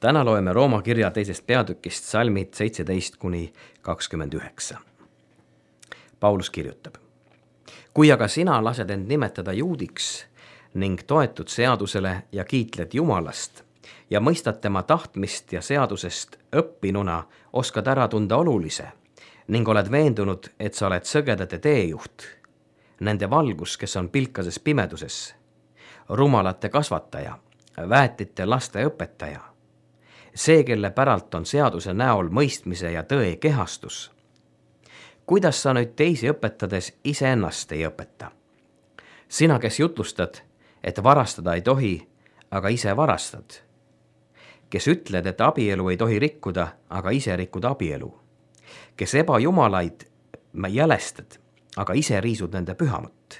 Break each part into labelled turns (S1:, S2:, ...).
S1: Täna loeme Rooma kirja teisest peatükist salmid 17–29. Paulus kirjutab: Kui aga sina lased end nimetada juudiks ning toetud seadusele ja kiitled Jumalast ja mõistad tema tahtmist ja seadusest õppinuna oskad ära tunda olulise ning oled veendunud, et sa oled sõgedate teejuht, nende valgus, kes on pilkases pimeduses, rumalate kasvataja, väetite laste õpetaja, see, kelle päralt on seaduse näol mõistmise ja tõe kehastus. Kuidas sa nüüd teisi õpetades iseennast ei õpeta? Sina, kes jutlustad, et varastada ei tohi, aga ise varastad. Kes ütled, et abielu ei tohi rikkuda, aga ise rikud abielu. Kes ebajumalaid jälestad, aga ise riisud nende pühamut.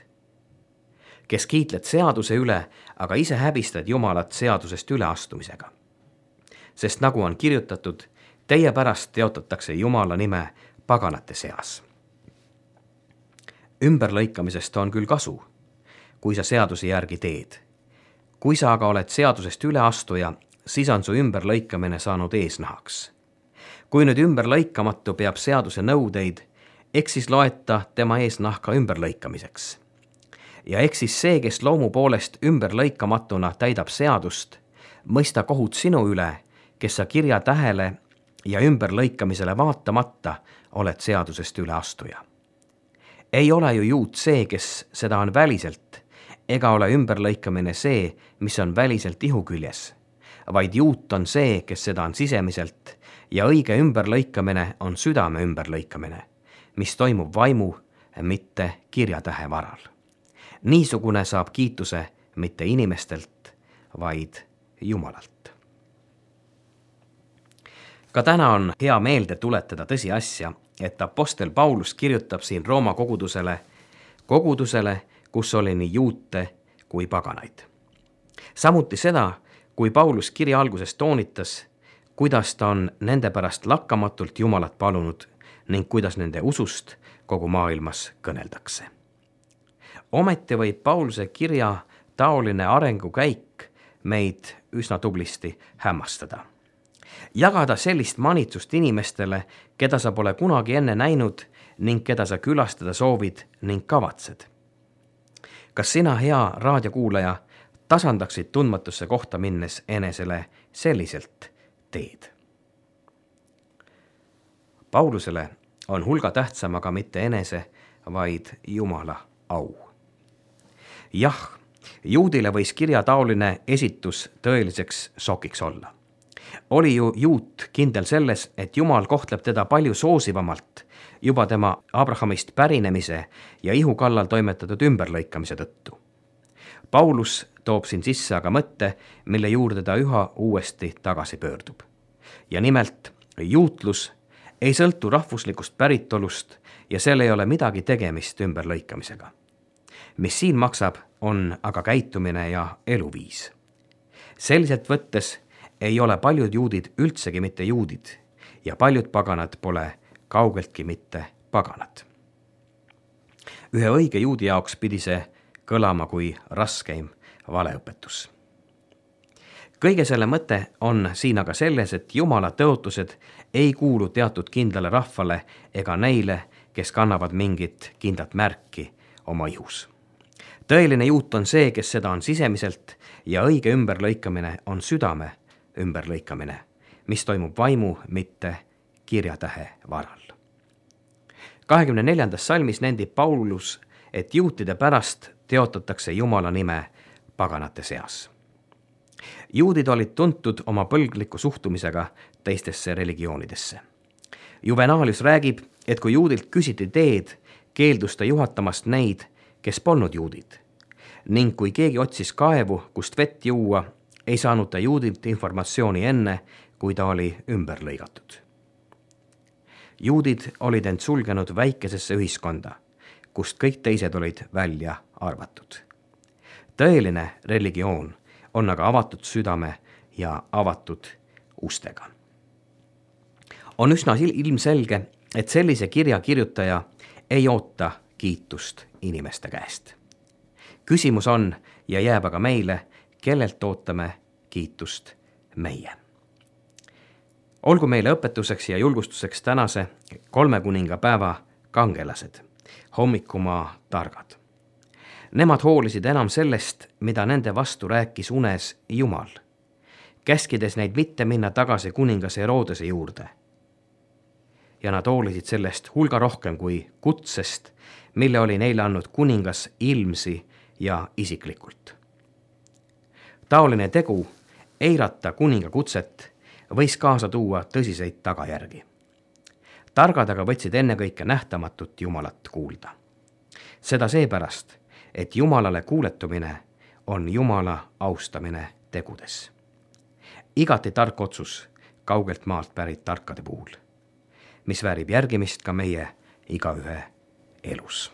S1: Kes kiitled seaduse üle, aga ise häbistad Jumalat seadusest üleastumisega. Sest nagu on kirjutatud, teie pärast teotatakse Jumala nime paganate seas. Ümberlõikamisest on küll kasu, kui sa seaduse järgi teed. Kui sa aga oled seadusest üleastuja, siis on su ümberlõikamine saanud eesnahaks. Kui nüüd ümberlõikamatu peab seaduse nõudeid, eks siis loeta tema eesnahka ümberlõikamiseks. Ja eks siis see, kes loomu poolest ümberlõikamatuna täidab seadust, mõista kohut sinu üle, kes sa kirja tähele ja ümberlõikamisele vaatamata oled seadusest üleastuja. Ei ole ju juut see, kes seda on väliselt, ega ole ümberlõikamine see, mis on väliselt ihuküljes, vaid juut on see, kes seda on sisemiselt, ja õige ümberlõikamine on südame ümberlõikamine, mis toimub vaimu, mitte kirjatähe varal. Niisugune saab kiituse mitte inimestelt, vaid Jumalalt. Ka täna on hea meelde tuletada tõsiasja, et apostel Paulus kirjutab siin Rooma kogudusele, kus oli nii juute kui paganaid. Samuti seda, kui Paulus kirja alguses toonitas, kuidas ta on nende pärast lakkamatult Jumalat palunud ning kuidas nende usust kogu maailmas kõneldakse. Ometi võib Pauluse kirja taoline arengukäik meid üsna tublisti hämmastada. Jagada sellist manitsust inimestele, keda sa pole kunagi enne näinud ning keda sa külastada soovid ning kavatsed. Kas sina, hea raadiokuulaja, tasandaksid tundmatusse kohta minnes enesele selliselt teed? Paulusele on hulga tähtsam aga mitte enese, vaid Jumala au. Jah, juudile võis kirja taoline esitus tõeliseks šokiks olla. Oli ju juut kindel selles, et Jumal kohtleb teda palju soosivamalt juba tema Abrahamist pärinemise ja ihu kallal toimetatud ümberlõikamise tõttu. Paulus toob siin sisse aga mõtte, mille juurde ta üha uuesti tagasi pöördub. Ja nimelt, juutlus ei sõltu rahvuslikust päritolust ja seal ei ole midagi tegemist ümberlõikamisega. Mis siin maksab, on aga käitumine ja eluviis. Selliselt võttes ei ole paljud juudid üldsegi mitte juudid ja paljud paganad pole kaugeltki mitte paganad. Ühe õige juudi jaoks pidi see kõlama kui raskeim valeõpetus. Kõige selle mõte on siin aga selles, et Jumala tõotused ei kuulu teatud kindlale rahvale ega neile, kes kannavad mingit kindlat märki oma ihus. Tõeline juut on see, kes seda on sisemiselt ja õige ümberlõikamine on südame ümberlõikamine, mis toimub vaimu, mitte kirjatähe varal. 24. salmis nendib Paulus, et juutide pärast teotatakse Jumala nime paganate seas. Juudid olid tuntud oma põlgliku suhtumisega teistesse religioonidesse. Juvenalius räägib, et kui juudilt küsiti teed, keeldus ta juhatamast neid, kes polnud juudid, ning kui keegi otsis kaevu, kust vett juua, ei saanud ta juudilt informatsiooni enne, kui ta oli ümber lõigatud. Juudid olid end sulgenud väikesesse ühiskonda, kust kõik teised olid välja arvatud. Tõeline religioon on aga avatud südame ja avatud ustega. On üsna ilmselge, et sellise kirja kirjutaja ei oota kiitust inimeste käest. Küsimus on ja jääb aga meile, kellelt ootame kiitust meie. Olgu meile õpetuseks ja julgustuseks tänase 3 kuningapäeva kangelased, hommikumaa targad. Nemad hoolisid enam sellest, mida nende vastu rääkis unes Jumal, käskides neid mitte minna tagasi kuningas Herodese juurde. Ja nad hoolisid sellest hulga rohkem kui kutsest, mille oli neile andnud kuningas ilmsi ja isiklikult. Taoline tegu, eirata kuninga kutset, võis kaasa tuua tõsiseid tagajärgi. Targad aga võtsid ennekõike nähtamatut Jumalat kuulda. Seda seepärast, et Jumalale kuuletumine on Jumala austamine tegudes. Igati tark otsus kaugelt maalt pärit tarkade puhul, mis väärib järgimist ka meie igaühe elus.